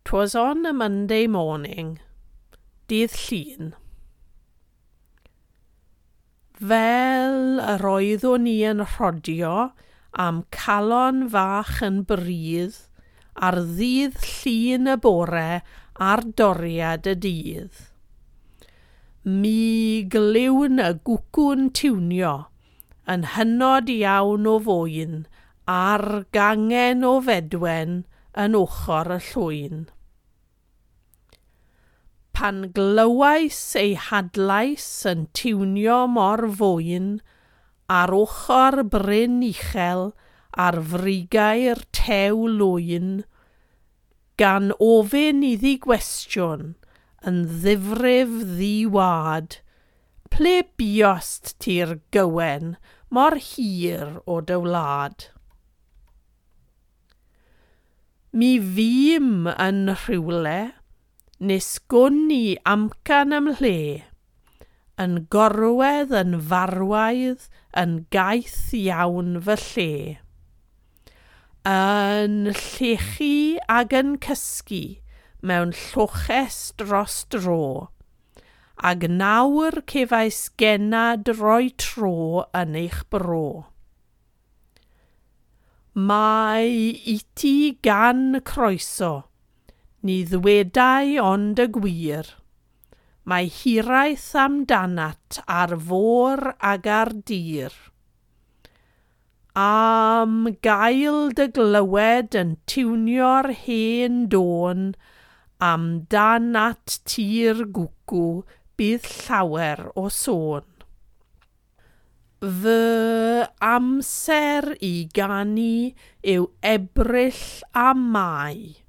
'Twas on a Monday morning. Dydd Llun. Fel yr oeddwn i yn rhodio a'm calon fach yn brudd ar ddydd Llun y bore ar doriad y dydd. Mi glywn y gwcw'n tiwnio yn hynod iawn o fwyn ar gangen o fedwen yn ochr y llwyn. Pan glywais ei hadlais yn tiwnio mor fwyn ar ochr bryn uchel ar frigau'r tew lwyn, gan ofyn iddi gwestiwn yn ddifrif ddi-wad, ple buost ti'r gywen mor hir o dy wlad? Mi fûm yn rhywle, nes gwn i amcan ymhle, yn gorwedd yn farwaidd yn gaeth iawn fy lle. Yn llechu ag yn cysgu mewn lloches dros dro, ag nawr cefais gennad roi tro yn eich bro. Mae iti gan croeso, ni ddwedai ond y gwir. Mae hiraeth amdanat ar fôr ag ar dir. Am gael dy glywed yn tiwnio'r hen dôn, amdanat ti'r gwcw bydd llawer o sôn. Fy amser i ganu yw Ebrill a Mai,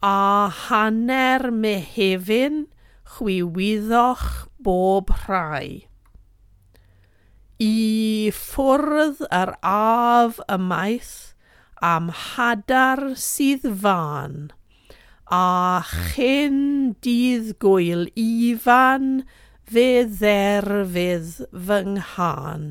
a hanner Mehefin chwi wyddoch bob rhai. I ffwrdd yr af ymaith am hadar sydd fan, a chyn dydd gwyl Ifan fe dderfydd fy nghân.